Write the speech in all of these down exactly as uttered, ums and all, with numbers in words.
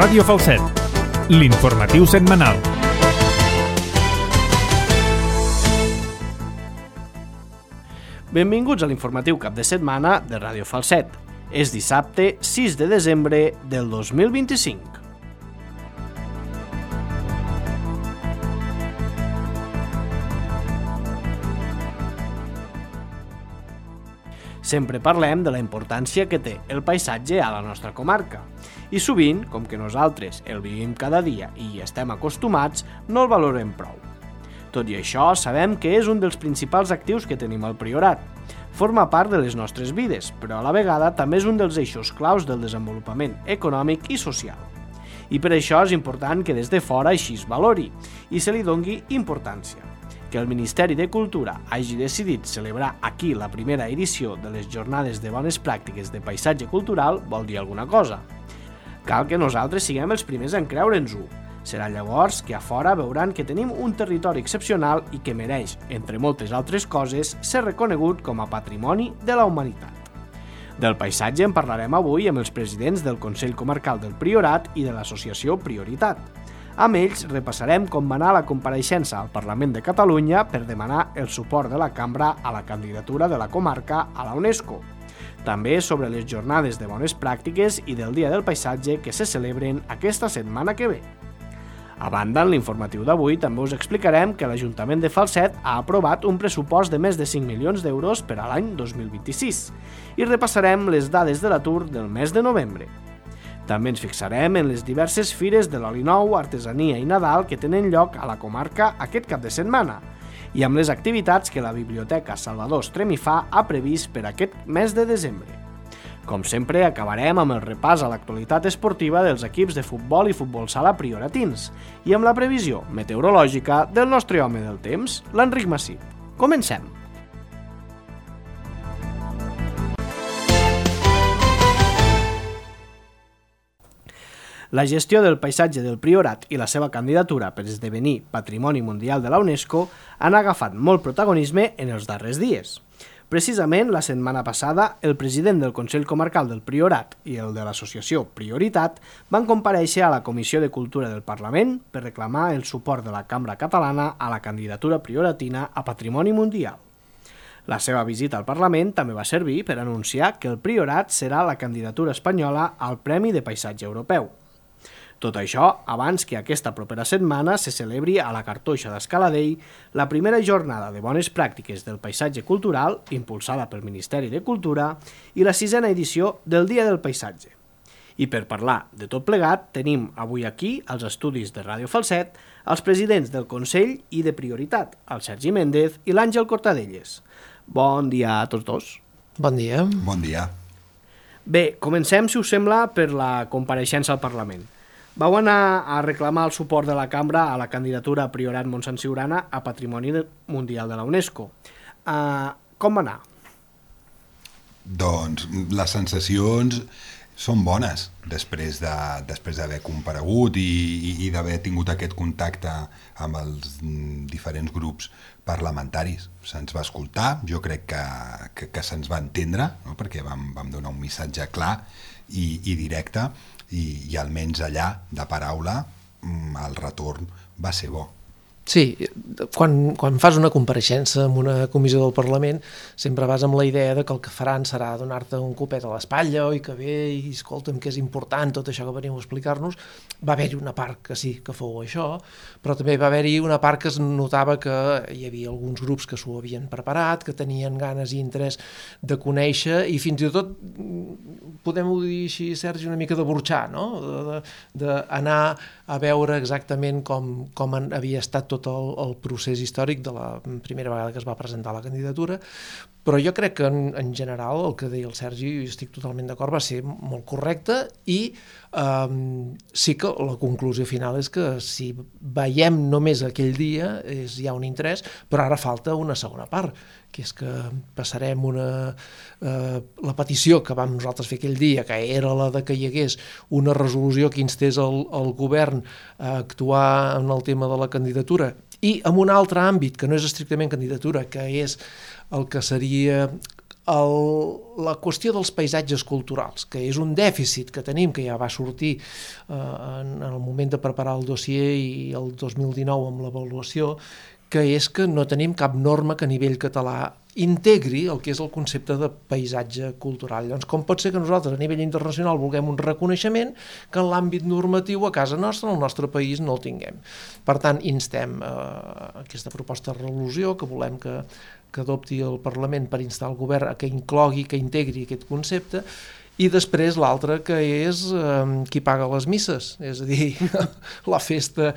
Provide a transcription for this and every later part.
Ràdio Falset, l'informatiu setmanal. Benvinguts a l'informatiu cap de setmana de Ràdio Falset. És dissabte sis de desembre del dos mil vint-i-cinc. Sempre parlem de la importància que té el paisatge a la nostra comarca. I sovint, com que nosaltres el vivim cada dia i hi estem acostumats, no el valorem prou. Tot i això, sabem que és un dels principals actius que tenim al Priorat. Forma part de les nostres vides, però a la vegada també és un dels eixos claus del desenvolupament econòmic i social. I per això és important que des de fora així es valori i se li dongui importància. Que el Ministeri de Cultura hagi decidit celebrar aquí la primera edició de les Jornades de Bones Pràctiques de Paisatge Cultural vol dir alguna cosa. Cal que nosaltres siguem els primers en creure'ns-ho. Serà llavors que a fora veuran que tenim un territori excepcional i que mereix, entre moltes altres coses, ser reconegut com a patrimoni de la humanitat. Del paisatge en parlarem avui amb els presidents del Consell Comarcal del Priorat i de l'associació Prioritat. Amb ells repassarem com va anar la compareixença al Parlament de Catalunya per demanar el suport de la Cambra a la candidatura de la comarca a la UNESCO. També sobre les jornades de bones pràctiques i del Dia del Paisatge que se celebren aquesta setmana que ve. A banda, en l'informatiu d'avui també us explicarem que l'Ajuntament de Falset ha aprovat un pressupost de més de cinc milions d'euros per a l'any dos mil vint-i-sis i repassarem les dades de l'atur del mes de novembre. També ens fixarem en les diverses fires de l'oli nou, artesania i Nadal que tenen lloc a la comarca aquest cap de setmana i amb les activitats que la Biblioteca Salvador Estremifà ha previst per aquest mes de desembre. Com sempre, acabarem amb el repàs a l'actualitat esportiva dels equips de futbol i futbol sala prioratins i amb la previsió meteorològica del nostre home del temps, l'Enric Massip. Comencem! La gestió del paisatge del Priorat i la seva candidatura per esdevenir Patrimoni Mundial de la UNESCO han agafat molt protagonisme en els darrers dies. Precisament, la setmana passada, el president del Consell Comarcal del Priorat i el de l'associació Prioritat van comparèixer a la Comissió de Cultura del Parlament per reclamar el suport de la Cambra Catalana a la candidatura prioratina a Patrimoni Mundial. La seva visita al Parlament també va servir per anunciar que el Priorat serà la candidatura espanyola al Premi de Paisatge Europeu. Tot això abans que aquesta propera setmana se celebri a la Cartoixa d'Escaladell la primera jornada de bones pràctiques del paisatge cultural impulsada pel Ministeri de Cultura i la sisena edició del Dia del Paisatge. I per parlar de tot plegat tenim avui aquí als estudis de Ràdio Falset els presidents del Consell i de Prioritat, el Sergi Méndez i l'Àngel Cortadelles. Bon dia a tots dos. Bon dia. Bon dia. Bé, comencem, si us sembla, per la compareixença al Parlament. Vau anar a reclamar el suport de la Cambra a la candidatura Priorat Montsant Siurana a Patrimoni Mundial de la UNESCO. Uh, com va anar? Doncs les sensacions són bones després de, després d'haver comparegut i, i, i d'haver tingut aquest contacte amb els diferents grups parlamentaris. Se'ns va escoltar, jo crec que, que, que se'ns va entendre, no? Perquè vam, vam donar un missatge clar i, i directe i, i almenys allà, de paraula, el retorn va ser bo. Sí, quan, quan fas una compareixença en una comissió del Parlament sempre vas amb la idea de que el que faran serà donar-te un copet a l'espatlla, oi que bé, i escolta'm que és important tot això que veniu a explicar-nos. Va haver-hi una part que sí que fou això, però també va haver-hi una part que es notava que hi havia alguns grups que s'ho havien preparat, que tenien ganes i interès de conèixer i fins i tot, podem-ho dir així, Sergi, una mica de burxar, no? D'anar a veure exactament com, com havia estat tot el, el procés històric de la primera vegada que es va presentar la candidatura, però jo crec que en, en general el que deia el Sergi, i estic totalment d'acord, va ser molt correcte i um, sí que la conclusió final és que si veiem només aquell dia és, hi ha un interès, però ara falta una segona part, que és que passarem una, eh, la petició que vam nosaltres fer aquell dia, que era la de que hi hagués una resolució que instés el, el govern a actuar en el tema de la candidatura i en un altre àmbit, que no és estrictament candidatura, que és el que seria el, la qüestió dels paisatges culturals, que és un dèficit que tenim, que ja va sortir eh, en, en el moment de preparar el dossier i el dos mil dinou amb l'avaluació, que és que no tenim cap norma que a nivell català integri el que és el concepte de paisatge cultural. Llavors, com pot ser que nosaltres a nivell internacional vulguem un reconeixement que en l'àmbit normatiu a casa nostra, al nostre país, no el tinguem? Per tant, instem eh, aquesta proposta de resolució que volem que, que adopti el Parlament per instar el govern a que inclogui, que integri aquest concepte, i després l'altre que és eh, qui paga les misses, és a dir, la festa...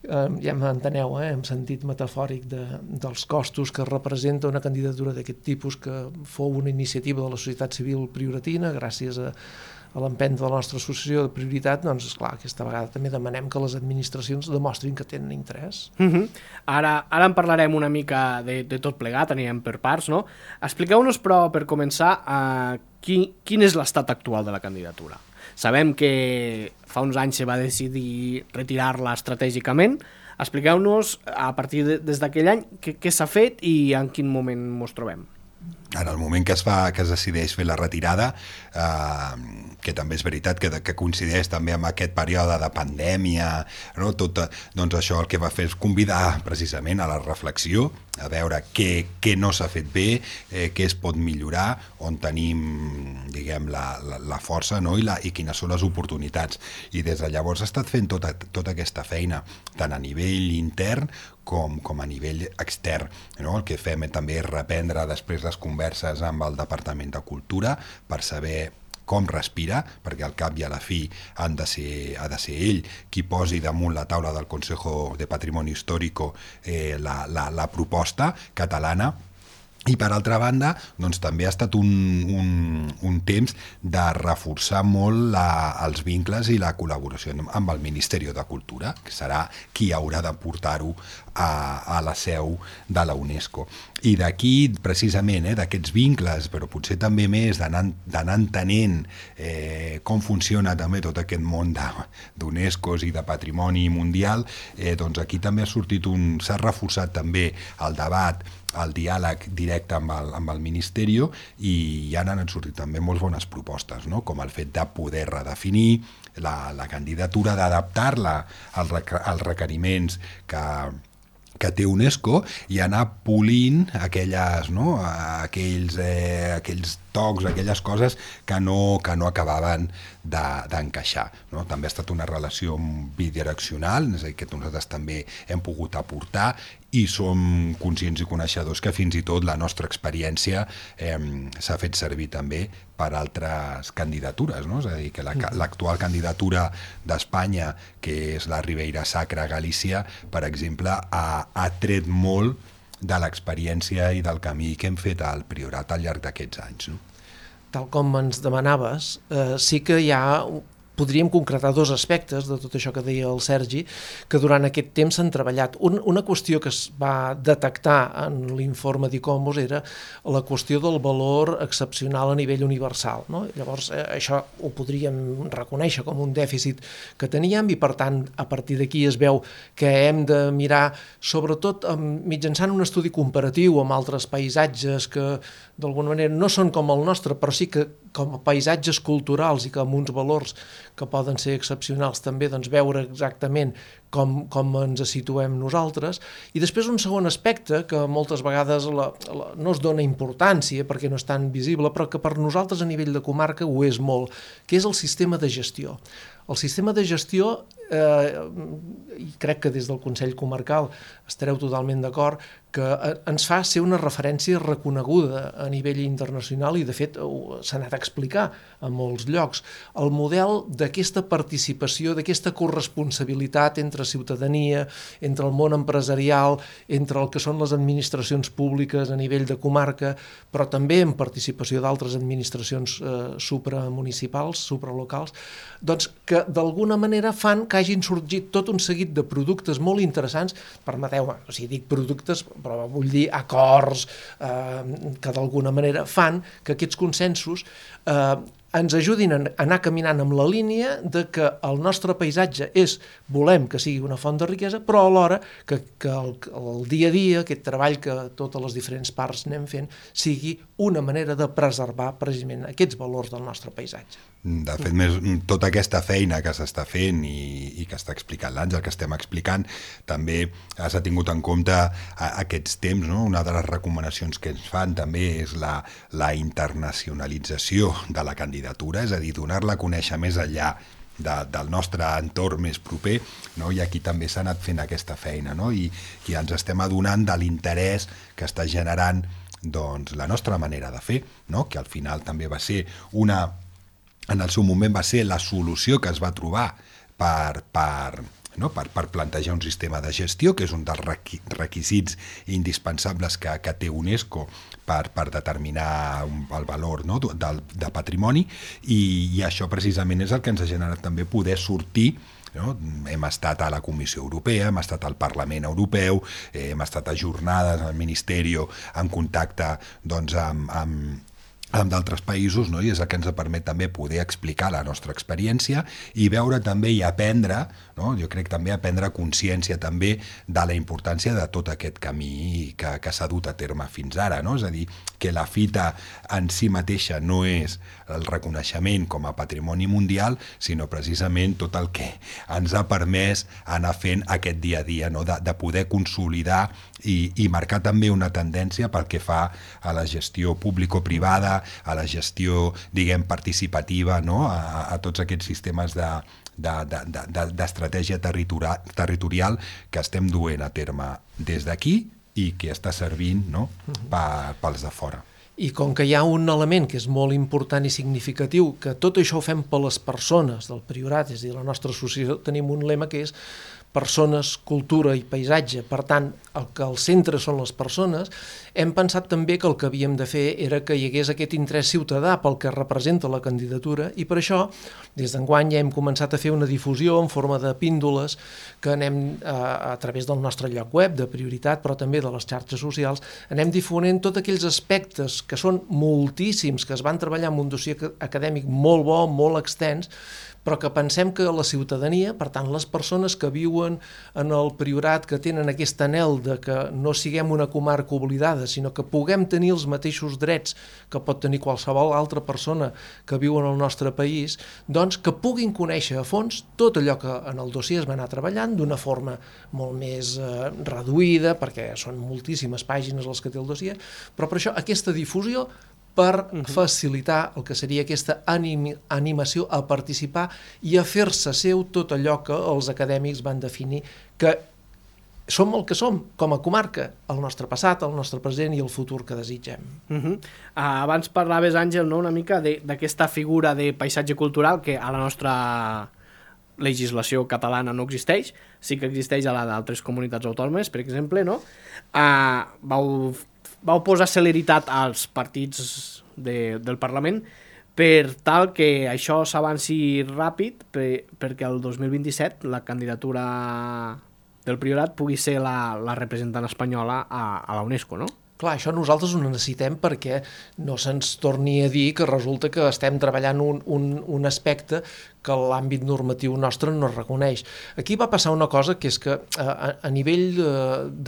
Uh, ja m'enteneu, eh? En sentit metafòric de, dels costos que representa una candidatura d'aquest tipus, que fou una iniciativa de la societat civil prioratina gràcies a, a l'empenta de la nostra associació de prioritat. Doncs esclar, aquesta vegada també demanem que les administracions demostrin que tenen interès. Uh-huh. Ara, ara en parlarem una mica de, de tot plegat, anirem per parts, no? Expliqueu-nos, però, per començar, uh, qui, quin és l'estat actual de la candidatura. Sabem que fa uns anys se va decidir retirar-la estratègicament. Expliqueu-nos, a partir de, des d'aquell any, què, què s'ha fet i en quin moment ens trobem. En el moment que es, fa, que es decideix fer la retirada, eh, que també és veritat que, que coincideix també amb aquest període de pandèmia, no? Tot, doncs això el que va fer és convidar precisament a la reflexió, a veure què, què no s'ha fet bé, eh, què es pot millorar, on tenim, diguem, la, la, la força, no? I, la, i quines són les oportunitats. I des de llavors ha estat fent tota, tota aquesta feina, tant a nivell intern com, com a nivell extern, no? El que fem també és reprendre després les converses amb el Departament de Cultura per saber com respira, perquè al cap i a la fi han de ser, ha de ser ell qui posi damunt la taula del Consejo de Patrimonio Histórico eh, la, la, la proposta catalana. I per altra banda, doncs també ha estat un, un, un temps de reforçar molt la, els vincles i la col·laboració amb el Ministeri de Cultura, que serà qui haurà de portar-ho a, a la seu de la UNESCO. I d'aquí, precisament, eh, d'aquests vincles, però potser també més d'anar entenent eh, com funciona també tot aquest món d'UNESCO i de patrimoni mundial, eh, doncs aquí també ha sortit un... s'ha reforçat també el debat, el diàleg directe amb el, amb el Ministeri, i ja n'han sortit també molt bones propostes, no? Com el fet de poder redefinir la, la candidatura, d'adaptar-la als, als requeriments que, que té UNESCO i anar polint aquelles, no? aquells, eh, aquells tocs, aquelles coses que no, que no acabaven d'encaixar. De, no? També ha estat una relació bidireccional, és a dir, que nosaltres també hem pogut aportar i som conscients i coneixedors que fins i tot la nostra experiència eh, s'ha fet servir també per altres candidatures, no? És a dir, que l'actual candidatura d'Espanya, que és la Ribeira Sacra Galícia, per exemple, ha, ha tret molt de l'experiència i del camí que hem fet al Priorat al llarg d'aquests anys. No? Tal com ens demanaves, eh, sí que hi ha... podríem concretar dos aspectes de tot això que deia el Sergi, que durant aquest temps s'han treballat. Un, una qüestió que es va detectar en l'informe d'ICOMOS era la qüestió del valor excepcional a nivell universal. No? Llavors, eh, això ho podríem reconèixer com un dèficit que teníem i, per tant, a partir d'aquí es veu que hem de mirar, sobretot mitjançant un estudi comparatiu amb altres paisatges que, d'alguna manera, no són com el nostre, però sí que com a paisatges culturals i que amb uns valors que poden ser excepcionals també, doncs veure exactament com, com ens situem nosaltres. I després un segon aspecte que moltes vegades la, la, no es dona importància perquè no és tan visible, però que per nosaltres a nivell de comarca ho és molt, que és el sistema de gestió. El sistema de gestió, eh, i crec que des del Consell Comarcal estareu totalment d'acord, que ens fa ser una referència reconeguda a nivell internacional i, de fet, s'ha anat a explicar a molts llocs. El model d'aquesta participació, d'aquesta corresponsabilitat entre ciutadania, entre el món empresarial, entre el que són les administracions públiques a nivell de comarca, però també en participació d'altres administracions eh, supramunicipals, supralocals, doncs que d'alguna manera fan que hagin sorgit tot un seguit de productes molt interessants, permeteu-me, o sigui, dic productes, però vull dir acords eh, que d'alguna manera fan que aquests consensos eh, ens ajudin a anar caminant amb la línia de que el nostre paisatge és, volem que sigui una font de riquesa, però alhora que, que el, el dia a dia, aquest treball que totes les diferents parts anem fent, sigui una manera de preservar precisament aquests valors del nostre paisatge. De fet, més, tota aquesta feina que s'està fent i, i que està explicant l'Àngel, que estem explicant, també s'ha tingut en compte a, a aquests temps, no? Una de les recomanacions que ens fan també és la, la internacionalització de la candidatura, és a dir, donar-la a conèixer més enllà de, del nostre entorn més proper, no? I aquí també s'ha anat fent aquesta feina, no? I, i ens estem adonant de l'interès que està generant doncs, la nostra manera de fer, no? Que al final també va ser una... En el seu moment va ser la solució que es va trobar per, per, no? per, per plantejar un sistema de gestió, que és un dels requisits indispensables que, que té UNESCO per, per determinar el valor, no? del, de patrimoni, i, i això precisament és el que ens ha generat també poder sortir. No? Hem estat a la Comissió Europea, hem estat al Parlament Europeu, eh, hem estat a jornades al Ministeri en contacte doncs, amb, amb amb d'altres països, no? I és el que ens permet també poder explicar la nostra experiència i veure també i aprendre, no? Jo crec també aprendre consciència també de la importància de tot aquest camí que, que s'ha dut a terme fins ara, no? És a dir, que la fita en si mateixa no és el reconeixement com a patrimoni mundial, sinó precisament tot el que ens ha permès anar fent aquest dia a dia, no? de, de poder consolidar i, i marcar també una tendència pel que fa a la gestió público-privada, a la gestió, diguem, participativa, no? a, a tots aquests sistemes de, de, de, de, d'estratègia territorial, territorial que estem duent a terme des d'aquí i que està servint, no? pa, pels de fora. I com que hi ha un element que és molt important i significatiu, que tot això ho fem per les persones del Priorat, és a dir, la nostra associació tenim un lema que és persones, cultura i paisatge. Per tant, el que al centre són les persones, hem pensat també que el que havíem de fer era que hi hagués aquest interès ciutadà pel que representa la candidatura i per això, des d'enguany ja hem començat a fer una difusió en forma de píndoles que anem a, a través del nostre lloc web de Prioritat, però també de les xarxes socials, anem difonent tots aquells aspectes que són moltíssims, que es van treballar en un dossier acadèmic molt bo, molt extens, però que pensem que la ciutadania, per tant, les persones que viuen en el Priorat, que tenen aquest anhel de que no siguem una comarca oblidada, sinó que puguem tenir els mateixos drets que pot tenir qualsevol altra persona que viu en el nostre país, doncs que puguin conèixer a fons tot allò que en el dossier es va anar treballant d'una forma molt més eh, reduïda, perquè són moltíssimes pàgines les que té el dossier, però per això aquesta difusió per facilitar el que seria aquesta anim animació a participar i a fer-se seu tot allò que els acadèmics van definir que som el que som com a comarca, el nostre passat, el nostre present i el futur que desitgem. Uh -huh. uh, abans parlaves, Àngel, no, una mica d'aquesta figura de paisatge cultural que a la nostra legislació catalana no existeix, sí que existeix a la d'altres comunitats autònomes, per exemple, no? Uh, vau vau posar celeritat als partits de, del Parlament per tal que això s'avanci ràpid per, perquè el dos mil vint-i-set la candidatura del Priorat pugui ser la, la representant espanyola a, a la UNESCO, no? Clar, això nosaltres ho necessitem perquè no se'ns torni a dir que resulta que estem treballant un, un, un aspecte que l'àmbit normatiu nostre no reconeix. Aquí va passar una cosa que és que a, a nivell de,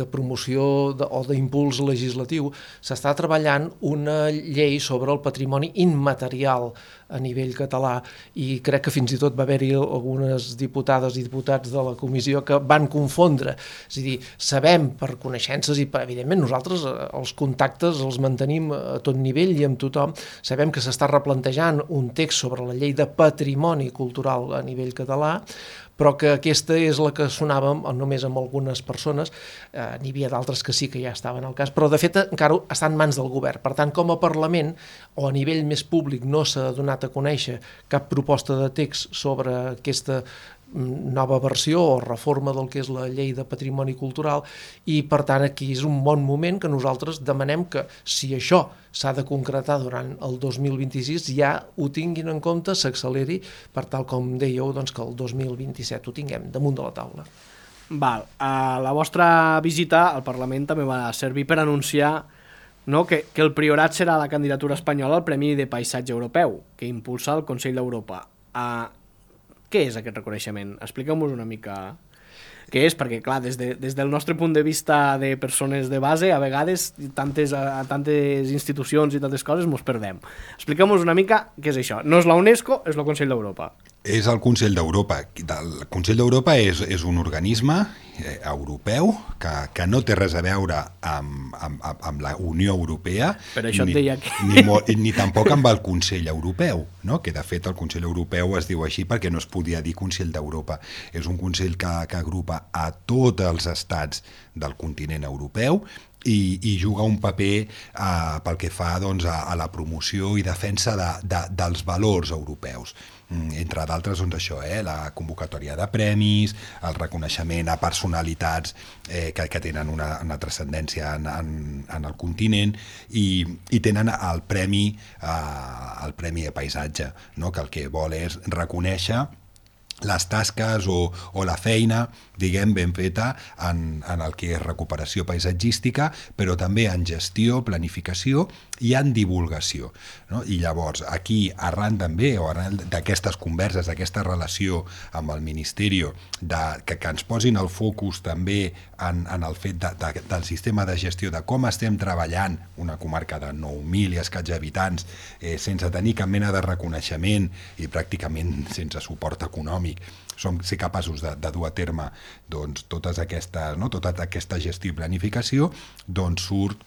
de promoció de, o d'impuls legislatiu s'està treballant una llei sobre el patrimoni immaterial a nivell català i crec que fins i tot va haver-hi algunes diputades i diputats de la comissió que van confondre. És a dir, sabem per coneixences i per, evidentment nosaltres els contactes els mantenim a tot nivell i amb tothom, sabem que s'està replantejant un text sobre la llei de patrimoni cultural cultural a nivell català, però que aquesta és la que sonava només amb algunes persones, eh, n'hi havia d'altres que sí que ja estaven al cas, però de fet encara està en mans del govern. Per tant, com a Parlament o a nivell més públic no s'ha donat a conèixer cap proposta de text sobre aquesta nova versió o reforma del que és la llei de patrimoni cultural i per tant aquí és un bon moment que nosaltres demanem que si això s'ha de concretar durant el dos mil vint-i-sis ja ho tinguin en compte, s'acceleri per tal com dèieu doncs, que el dos mil vint-i-set ho tinguem damunt de la taula. Val. Uh, la vostra visita al Parlament també va servir per anunciar no? que, que el Priorat serà la candidatura espanyola al Premi de Paisatge Europeu, que impulsa el Consell d'Europa. Uh, què és aquest reconeixement? Expliqueu-nos una mica què és, perquè clar, des, de, des del nostre punt de vista de persones de base, a vegades tantes, a, a tantes institucions i tantes coses mos perdem. Expliqueu-nos una mica què és això. No és la UNESCO, és el Consell d'Europa. És el Consell d'Europa. El Consell d'Europa és, és un organisme eh, europeu que, que no té res a veure amb, amb, amb la Unió Europea, per això ni, et deia que... ni, ni tampoc amb el Consell Europeu, no? Que de fet el Consell Europeu es diu així perquè no es podia dir Consell d'Europa. És un consell que, que agrupa a tots els estats del continent europeu i, i juga un paper eh, pel que fa doncs, a, a la promoció i defensa de, de, dels valors europeus. Entre d'altres, doncs això, eh, la convocatòria de premis, el reconeixement a personalitats eh, que, que tenen una, una transcendència en, en, en el continent i, i tenen el premi, eh, el premi de paisatge, no? Que el que vol és reconèixer les tasques o, o la feina, diguem, ben feta en, en el que és recuperació paisatgística, però també en gestió, planificació i en divulgació, no? I llavors, aquí, arran també, o arran d'aquestes converses, d'aquesta relació amb el Ministeri, de, que, que ens posin el focus també en, en el fet de, de, del sistema de gestió, de com estem treballant una comarca de nou mil i escaig habitants, eh, sense tenir cap mena de reconeixement i pràcticament sense suport econòmic, som ser capaços de, de dur a terme doncs, totes aquestes, no? tota aquesta gestió i planificació, doncs surt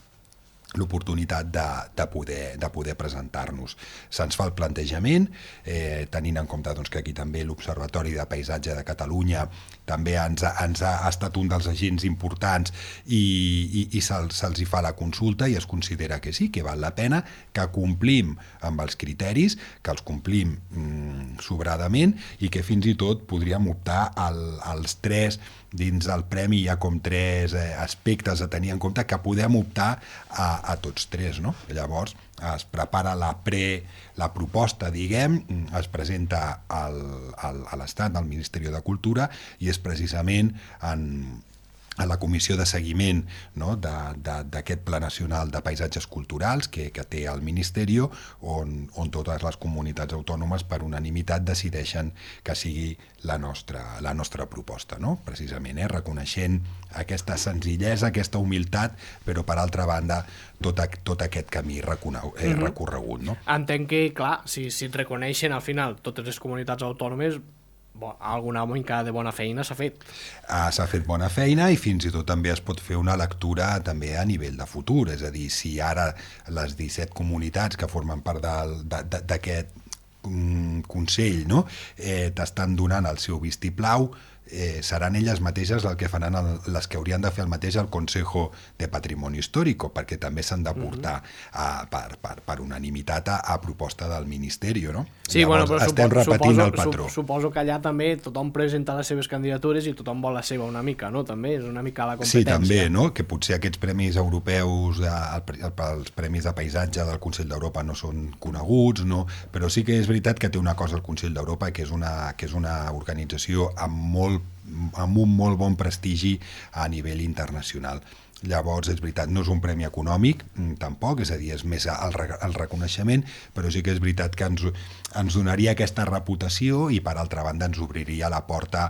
l'oportunitat de, de, poder, de poder presentar-nos. Se'ns fa el plantejament, eh, tenint en compte doncs, que aquí també l'Observatori de Paisatge de Catalunya també ens, ens ha estat un dels agents importants i, i, i se'ls, se'ls hi fa la consulta i es considera que sí, que val la pena, que complim amb els criteris, que els complim mm, sobradament i que fins i tot podríem optar al, als tres dins el premi hi ha com tres eh, aspectes a tenir en compte que podem optar a, a tots tres, no? Llavors es prepara la pre, la proposta, diguem, es presenta al, al, a l'Estat, al Ministeri de Cultura, i és precisament en, a la comissió de seguiment, no? d'aquest Pla Nacional de Paisatges Culturals que, que té el Ministeri, on, on totes les comunitats autònomes per unanimitat decideixen que sigui la nostra, la nostra proposta, no? Precisament, eh? reconeixent aquesta senzillesa, aquesta humilitat, però per altra banda tot, a, tot aquest camí recorregut. Eh, mm-hmm. recorregut, no? Entenc que, clar, si, si et reconeixen al final totes les comunitats autònomes, bon, alguna mica de bona feina s'ha fet. Ah, s'ha fet bona feina i fins i tot també es pot fer una lectura també a nivell de futur, és a dir, si ara les disset comunitats que formen part d'aquest Consell, no? eh, t'estan donant el seu vistiplau, eh, seran elles mateixes el que faran el, les que haurien de fer el mateix al Consejo de Patrimoni Histórico, perquè també s'han de portar a, per, per, per unanimitat a, a proposta del Ministeri, no? Sí, Llavors, bueno, però estem supo, repetint suposo, el patró. Suposo que allà també tothom presenta les seves candidatures i tothom vol la seva una mica, no? També és una mica la competència. Sí, també, no? Que potser aquests premis europeus, el, els premis de paisatge del Consell d'Europa no són coneguts, no? Però sí que és veritat que té una cosa el Consell d'Europa, que és una, que és una organització amb molt amb un molt bon prestigi a nivell internacional. Llavors, és veritat, no és un premi econòmic, tampoc, és a dir, és més el, el reconeixement, però sí que és veritat que ens, ens donaria aquesta reputació i, per altra banda, ens obriria la porta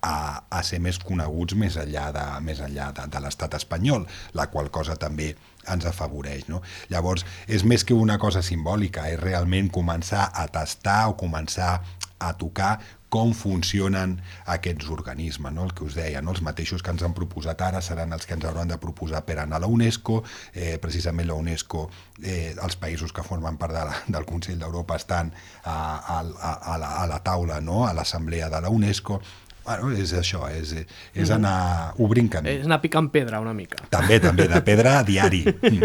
a, a ser més coneguts més enllà de, més enllà de, de l'estat espanyol, la qual cosa també ens afavoreix, no? Llavors, és més que una cosa simbòlica, és realment començar a tastar o començar a tocar com funcionen aquests organismes, no? El que us deia, no? Els mateixos que ens han proposat ara seran els que ens hauran de proposar per anar a la UNESCO, eh, precisament la UNESCO, eh, els països que formen part de la, del Consell d'Europa estan a, a, a, la, a la taula, no? A l'assemblea de la UNESCO. Bueno, és això, és, és anar obrint camí. És anar picant pedra una mica. També, també, de pedra a diari. Sí,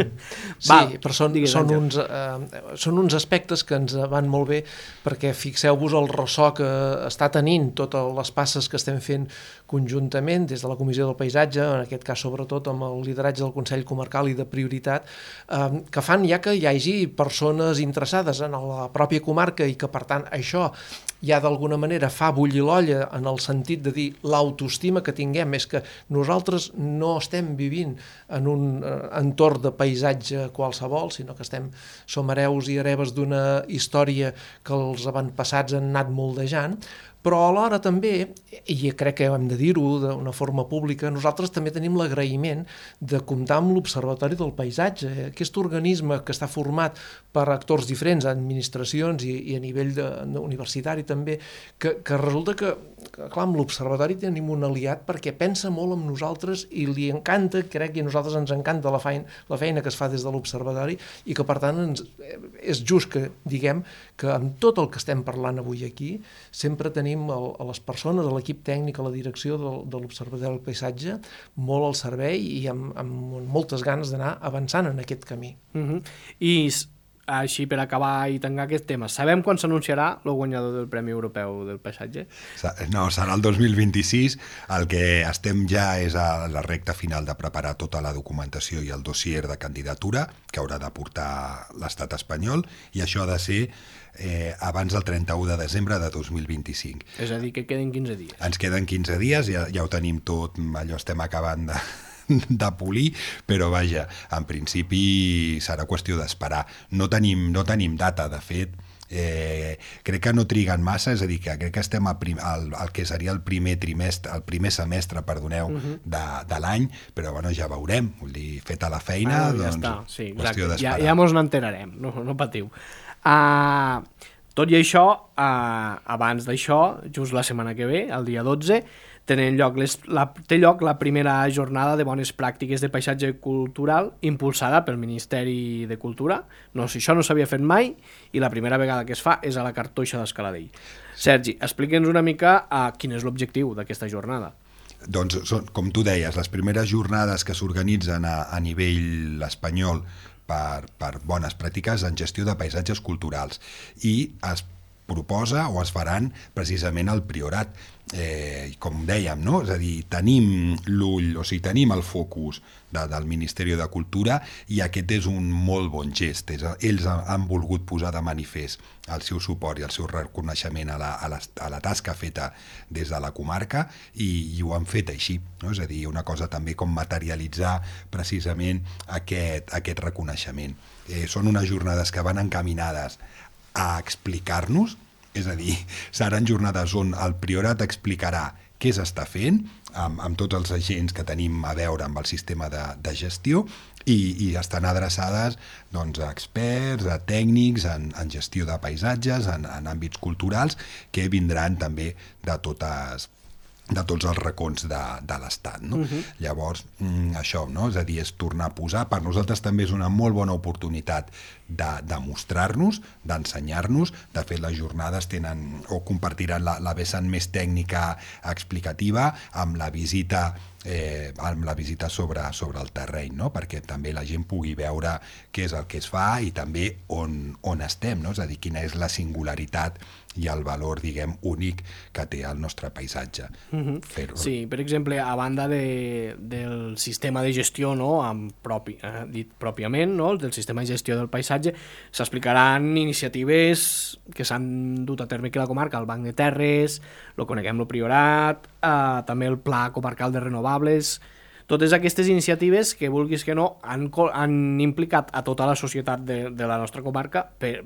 Va, però són, són, uns, eh, són uns aspectes que ens van molt bé, perquè fixeu-vos el ressò que està tenint totes les passes que estem fent conjuntament des de la Comissió del Paisatge, en aquest cas sobretot amb el lideratge del Consell Comarcal i de Prioritat, eh, que fan ja que hi hagi persones interessades en la pròpia comarca i que per tant això ja d'alguna manera fa bullir l'olla en el sentit de dir l'autoestima que tinguem és que nosaltres no estem vivint en un eh, entorn de paisatge qualsevol, sinó que estem, som hereus i hereves d'una història que els avantpassats han anat moldejant, però alhora també, i crec que hem de dir-ho d'una forma pública, nosaltres també tenim l'agraïment de comptar amb l'Observatori del Paisatge, aquest organisme que està format per actors diferents, administracions i, i a nivell de, de universitari també, que, que resulta que, que clar, amb l'Observatori tenim un aliat perquè pensa molt en nosaltres i li encanta, crec que a nosaltres ens encanta la feina, la feina que es fa des de l'Observatori i que per tant ens, és just que diguem que amb tot el que estem parlant avui aquí sempre tenim a les persones, a l'equip tècnic, a la direcció de, de l'Observatori del Paisatge, molt al servei i amb, amb moltes ganes d'anar avançant en aquest camí. Uh-huh. I així, per acabar i tancar aquest tema, sabem quan s'anunciarà el guanyador del Premi Europeu del Paisatge? No, serà el dos mil vint-i-sis. El que estem ja és a la recta final de preparar tota la documentació i el dossier de candidatura que haurà de portar l'estat espanyol, i això ha de ser Eh, abans del trenta-u de desembre de dos mil vint-i-cinc. És a dir, que queden quinze dies. Ens queden quinze dies, ja, ja ho tenim tot, allò estem acabant de, de polir, però vaja, en principi serà qüestió d'esperar. No tenim, no tenim data, de fet, eh, crec que no triguen massa, és a dir, que crec que estem al, prim, al, al que seria el primer trimestre, el primer semestre, perdoneu, uh-huh. de, de l'any, però bueno, ja veurem, vull dir, feta la feina, ah, ja doncs, està. Sí, qüestió d'esperar. Ja, ja mos n'enterarem, no, no patiu. Uh, tot i això, uh, abans d'això, just la setmana que ve, el dia dotze, tenen lloc les, la, té lloc la primera jornada de bones pràctiques de paisatge cultural impulsada pel Ministeri de Cultura. No, si això no s'havia fet mai i la primera vegada que es fa és a la Cartoixa d'Escaladell. Sergi, explica'ns una mica uh, quin és l'objectiu d'aquesta jornada. Doncs, són, com tu deies, les primeres jornades que s'organitzen a, a nivell espanyol Per, per bones pràctiques en gestió de paisatges culturals, i es proposa o es faran precisament al Priorat. Eh, com dèiem, no? És a dir, tenim l'ull, o sigui, tenim el focus de, del Ministeri de Cultura, i aquest és un molt bon gest. És, ells han volgut posar de manifest el seu suport i el seu reconeixement a la, a la, a la tasca feta des de la comarca, i, i ho han fet així, no? És a dir, una cosa també com materialitzar precisament aquest, aquest reconeixement. Eh, són unes jornades que van encaminades a explicar-nos, és a dir, seran jornades on el Priorat explicarà què s'està fent amb, amb tots els agents que tenim a veure amb el sistema de, de gestió, i, i estan adreçades doncs, a experts, a tècnics en, en gestió de paisatges, en, en àmbits culturals, que vindran també de totes de tots els racons de, de l'Estat, no? Uh-huh. Llavors, mm, això, no? És a dir, és tornar a posar, per nosaltres també és una molt bona oportunitat de, de mostrar-nos, d'ensenyar-nos. De fet, les jornades tenen o compartiran la, la vessant més tècnica explicativa amb la visita eh, amb la visita sobre, sobre el terreny, no? Perquè també la gent pugui veure què és el que es fa i també on, on estem, no? És a dir, quina és la singularitat i el valor, diguem, únic que té el nostre paisatge. Uh-huh. Fer-ho. Sí, per exemple, a banda de, del sistema de gestió, no, amb propi, eh, dit pròpiament, no, del sistema de gestió del paisatge, s'explicaran iniciatives que s'han dut a terme aquí a la comarca, el Banc de Terres, lo coneguem, el Priorat, eh, també el Pla Comarcal de Renovables. Totes aquestes iniciatives que, vulguis que no, han, han implicat a tota la societat de, de la nostra comarca per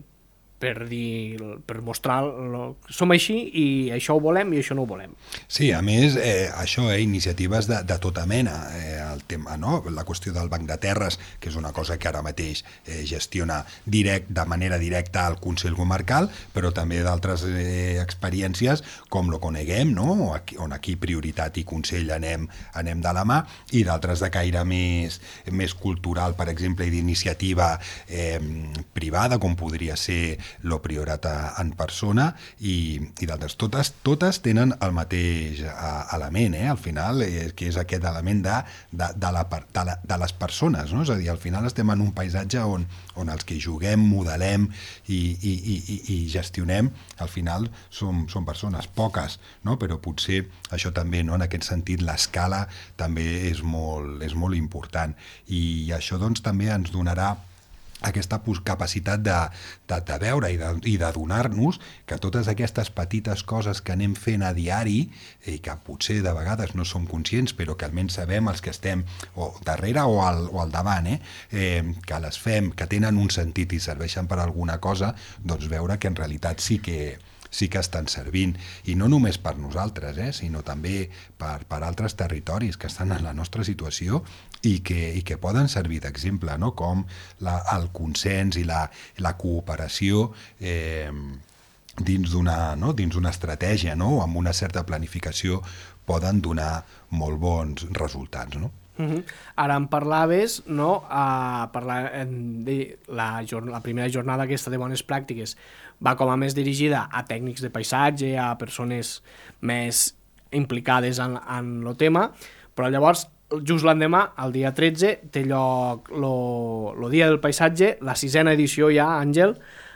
per dir, per mostrar lo, som així i això ho volem i això no ho volem. Sí, a més, eh, això, eh, iniciatives de, de tota mena, eh, el tema, no? La qüestió del Banc de Terres, que és una cosa que ara mateix eh, gestiona direct, de manera directa al Consell Comarcal, però també d'altres eh, experiències com lo coneguem, no? Aquí, on aquí prioritat i Consell anem, anem de la mà, i d'altres de caire més, més cultural, per exemple, i d'iniciativa eh, privada, com podria ser lo Priorat en persona, i, i d'altres. Totes, totes tenen el mateix element, eh? Al final, eh, que és aquest element de, de, de, la, de, la, de les persones, no? És a dir, al final estem en un paisatge on, on els que juguem, modelem i, i, i, i gestionem, al final som, som persones, poques, no? Però potser això també, no? En aquest sentit, l'escala també és molt, és molt important, i això doncs també ens donarà aquesta capacitat de, de, de veure i de, i de donar-nos que totes aquestes petites coses que anem fent a diari i que potser de vegades no som conscients però que almenys sabem els que estem o darrere o al, o al davant, eh? Eh, que les fem, que tenen un sentit i serveixen per alguna cosa, doncs veure que en realitat sí que sí que estan servint, i no només per nosaltres, eh, sinó també per, per altres territoris que estan en la nostra situació i que, i que poden servir d'exemple, no? Com la, el consens i la, la cooperació eh, dins d'una, no? dins d'una estratègia, no? Amb una certa planificació poden donar molt bons resultats, no? Uh-huh. Ara em parlaves, no, a parlar de la, la primera jornada aquesta de bones pràctiques va com a més dirigida a tècnics de paisatge, a persones més implicades en, en el tema, però llavors just l'endemà, el dia tretze, té lloc el dia del paisatge, la sisena edició ja, Àngel.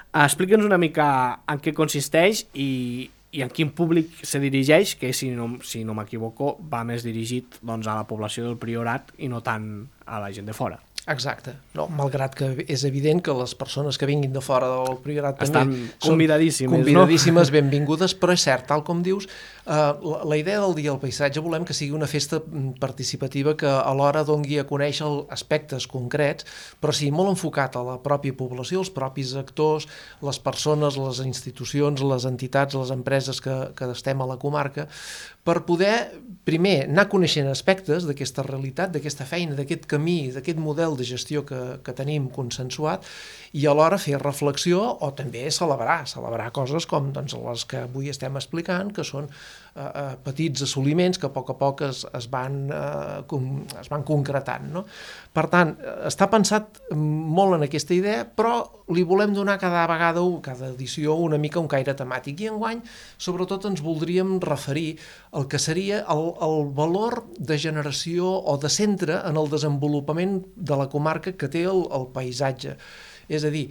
Explica'ns una mica en què consisteix i, i en quin públic se dirigeix, que si no, si no m'equivoco va més dirigit doncs, a la població del Priorat i no tant a la gent de fora. Exacte. No, malgrat que és evident que les persones que vinguin de fora del Priorat estan també convidadíssimes, convidadíssimes, no? benvingudes, però és cert, tal com dius, eh, la, la idea del Dia del Paisatge volem que sigui una festa participativa que alhora dongui a conèixer aspectes concrets, però sí molt enfocat a la pròpia població, els propis actors, les persones, les institucions, les entitats, les empreses que, que estem a la comarca, per poder, primer, anar coneixent aspectes d'aquesta realitat, d'aquesta feina, d'aquest camí, d'aquest model de gestió que, que tenim consensuat, i alhora fer reflexió o també celebrar, celebrar coses com doncs, les que avui estem explicant, que són eh, eh, petits assoliments que a poc a poc es, es, van, eh, com, es van concretant, no? Per tant, està pensat molt en aquesta idea, però li volem donar cada vegada, cada edició, una mica un caire temàtic. I enguany, sobretot, ens voldríem referir al que seria el, el valor de generació o de centre en el desenvolupament de la comarca que té el, el paisatge. És a dir,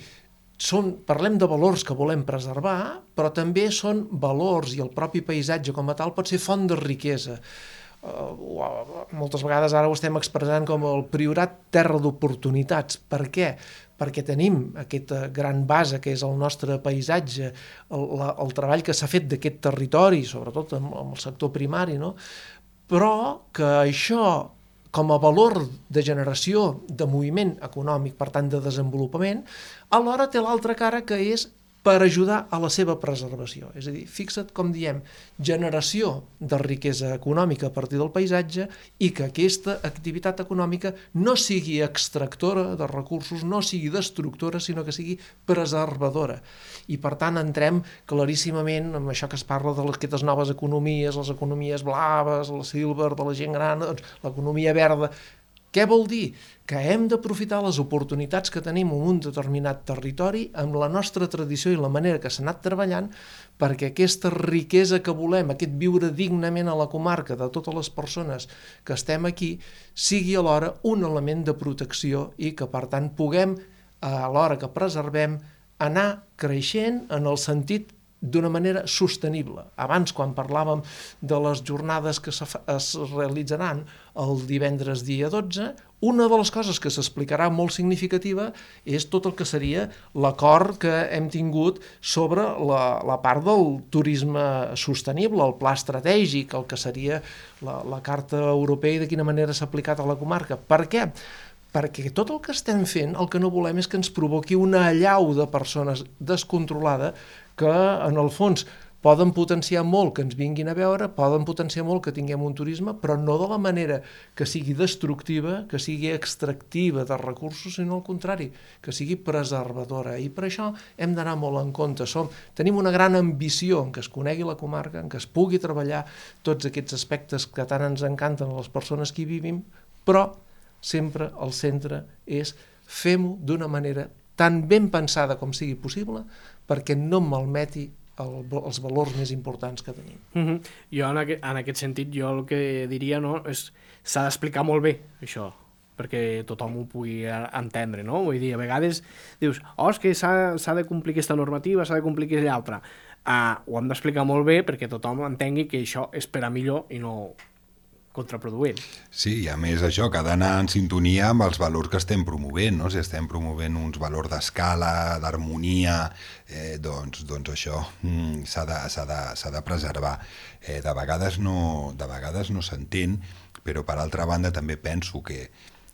són, parlem de valors que volem preservar, però també són valors i el propi paisatge com a tal pot ser font de riquesa. Uh, moltes vegades ara ho estem expressant com el Priorat terra d'oportunitats. Per què? Perquè tenim aquesta gran base que és el nostre paisatge, el, la, el treball que s'ha fet d'aquest territori, sobretot amb, amb el sector primari, no? Però que això, com a valor de generació de moviment econòmic, per tant de desenvolupament, alhora té l'altra cara que és per ajudar a la seva preservació. És a dir, fixa't com diem, generació de riquesa econòmica a partir del paisatge i que aquesta activitat econòmica no sigui extractora de recursos, no sigui destructora, sinó que sigui preservadora. I per tant entrem claríssimament amb això que es parla de aquestes noves economies, les economies blaves, la silver, de la gent gran, doncs, l'economia verda. Què vol dir? Que hem d'aprofitar les oportunitats que tenim en un determinat territori amb la nostra tradició i la manera que s'ha anat treballant perquè aquesta riquesa que volem, aquest viure dignament a la comarca de totes les persones que estem aquí, sigui alhora un element de protecció i que, per tant, puguem, a l'hora que preservem, anar creixent en el sentit d'una manera sostenible. Abans, quan parlàvem de les jornades que es realitzaran el divendres dia dotze, una de les coses que s'explicarà molt significativa és tot el que seria l'acord que hem tingut sobre la, la part del turisme sostenible, el pla estratègic, el que seria la, la Carta Europea i de quina manera s'ha aplicat a la comarca. Per què? Perquè tot el que estem fent, el que no volem és que ens provoqui una allau de persones descontrolada que, en el fons, poden potenciar molt que ens vinguin a veure, poden potenciar molt que tinguem un turisme, però no de la manera que sigui destructiva, que sigui extractiva de recursos, sinó al contrari, que sigui preservadora. I per això hem d'anar molt en compte. Som, tenim una gran ambició en què es conegui la comarca, en què es pugui treballar tots aquests aspectes que tant ens encanten a les persones que hi vivim, però sempre el centre és fem-ho d'una manera tan ben pensada com sigui possible perquè no malmeti el, els valors més importants que tenim. Uh-huh. Jo en aquest, en aquest sentit jo el que diria, no, és s'ha d'explicar molt bé això perquè tothom ho pugui entendre, no? Vull dir, a vegades dius, oh, és que s'ha de complir aquesta normativa, s'ha de complir aquesta altra. Uh, ho hem d'explicar molt bé perquè tothom entengui que això és per a millor i no contraproduent. Sí, i a més això, que ha d'anar en sintonia amb els valors que estem promovent, no? Si estem promovent uns valors d'escala, d'harmonia, eh, doncs, doncs això mm, s'ha de, s'ha de, s'ha de preservar. Eh, de vegades no, de vegades no s'entén, però per altra banda també penso que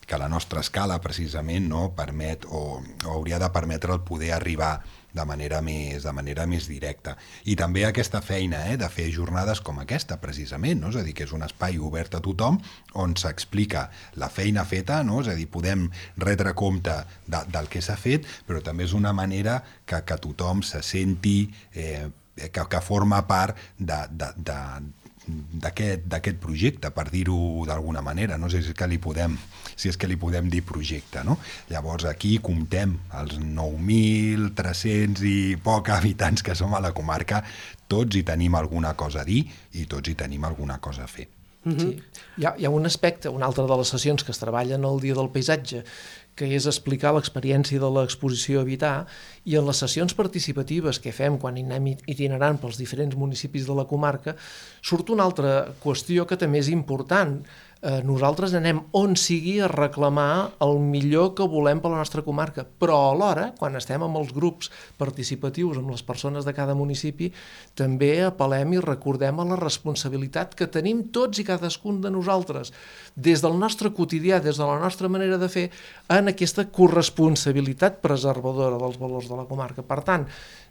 que la nostra escala precisament no, permet o, o hauria de permetre el poder arribar de manera més, de manera més directa. I també aquesta feina eh, de fer jornades com aquesta, precisament, no? És a dir, que és un espai obert a tothom on s'explica la feina feta, no? És a dir, podem retre compte de, del que s'ha fet, però també és una manera que, que tothom se senti eh, que, que forma part de, de, de d'aquest projecte, per dir-ho d'alguna manera, no sé si és que li podem si és que li podem dir projecte, no? Llavors aquí comptem els nou mil tres-cents i poc habitants que som a la comarca, tots hi tenim alguna cosa a dir i tots hi tenim alguna cosa a fer. Sí. Hi ha, hi ha un aspecte, una altra de les sessions que es treballen el Dia del Paisatge, que és explicar l'experiència de l'exposició Habitar, i en les sessions participatives que fem quan anem itinerant pels diferents municipis de la comarca, surt una altra qüestió que també és important. Eh, nosaltres anem on sigui a reclamar el millor que volem per la nostra comarca, però alhora, quan estem amb els grups participatius, amb les persones de cada municipi, també apel·lem i recordem a la responsabilitat que tenim tots i cadascun de nosaltres, des del nostre quotidià, des de la nostra manera de fer, en aquesta corresponsabilitat preservadora dels valors de la comarca. Per tant,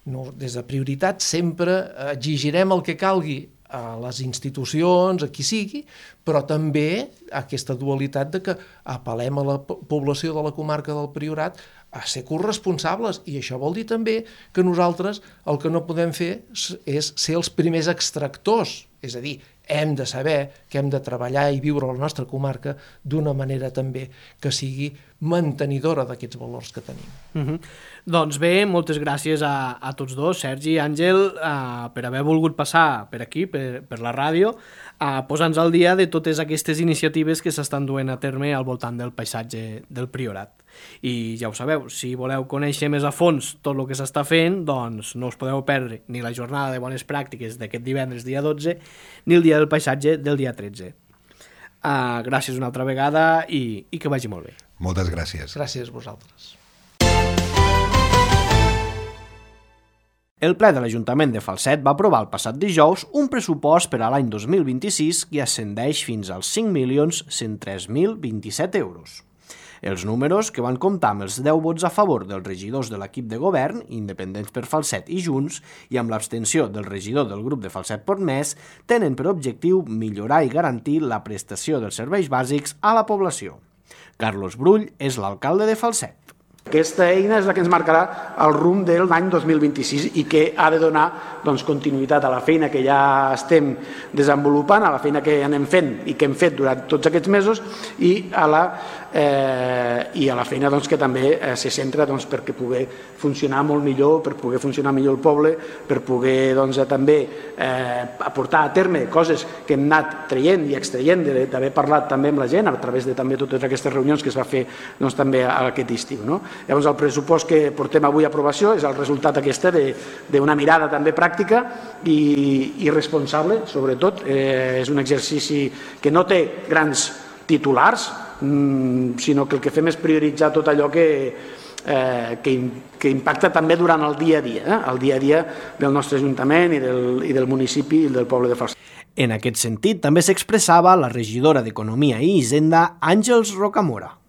no, des de prioritat sempre exigirem el que calgui a les institucions, a qui sigui, però també aquesta dualitat de que apel·lem a la població de la comarca del Priorat a ser corresponsables, i això vol dir també que nosaltres el que no podem fer és ser els primers extractors, és a dir, hem de saber que hem de treballar i viure a la nostra comarca d'una manera també que sigui mantenidora d'aquests valors que tenim. Uh-huh. Doncs bé, moltes gràcies a, a tots dos, Sergi i Àngel, uh, per haver volgut passar per aquí, per, per la ràdio, uh, posant-nos al dia de totes aquestes iniciatives que s'estan duent a terme al voltant del paisatge del Priorat. I ja ho sabeu, si voleu conèixer més a fons tot el que s'està fent, doncs no us podeu perdre ni la jornada de bones pràctiques d'aquest divendres dia dotze, ni el dia del paisatge del dia tretze. Uh, gràcies una altra vegada i, i que vagi molt bé. Moltes gràcies. Gràcies a vosaltres. El ple de l'Ajuntament de Falset va aprovar el passat dijous un pressupost per a l'any dos mil vint-i-sis que ascendeix fins als cinc milions cent tres mil vint-i-set euros. Els números, que van comptar amb els deu vots a favor dels regidors de l'equip de govern, Independents per Falset i Junts, i amb l'abstenció del regidor del grup de Falset Portmès, tenen per objectiu millorar i garantir la prestació dels serveis bàsics a la població. Carlos Brull és l'alcalde de Falset. Aquesta eina és la que ens marcarà el rumb de l'any dos mil vint-i-sis i que ha de donar doncs, continuïtat a la feina que ja estem desenvolupant, a la feina que anem fent i que hem fet durant tots aquests mesos i a la, eh, i a la feina doncs, que també eh, se centra doncs, perquè pugui funcionar molt millor, per poder funcionar millor el poble, per poder doncs, també eh, aportar a terme coses que hem anat traient i extraient d'haver parlat també amb la gent a través de també totes aquestes reunions que es va fer doncs, també aquest estiu. No? Llavors el pressupost que portem avui a aprovació és el resultat aquesta d'una mirada també pràctica i, i responsable, sobretot. Eh, és un exercici que no té grans titulars, mmm, sinó que el que fem és prioritzar tot allò que, eh, que, que impacta també durant el dia a dia, eh? el dia a dia del nostre Ajuntament i del, i del municipi i del poble de Falset. En aquest sentit, també s'expressava la regidora d'Economia i Hisenda, Àngels Rocamora.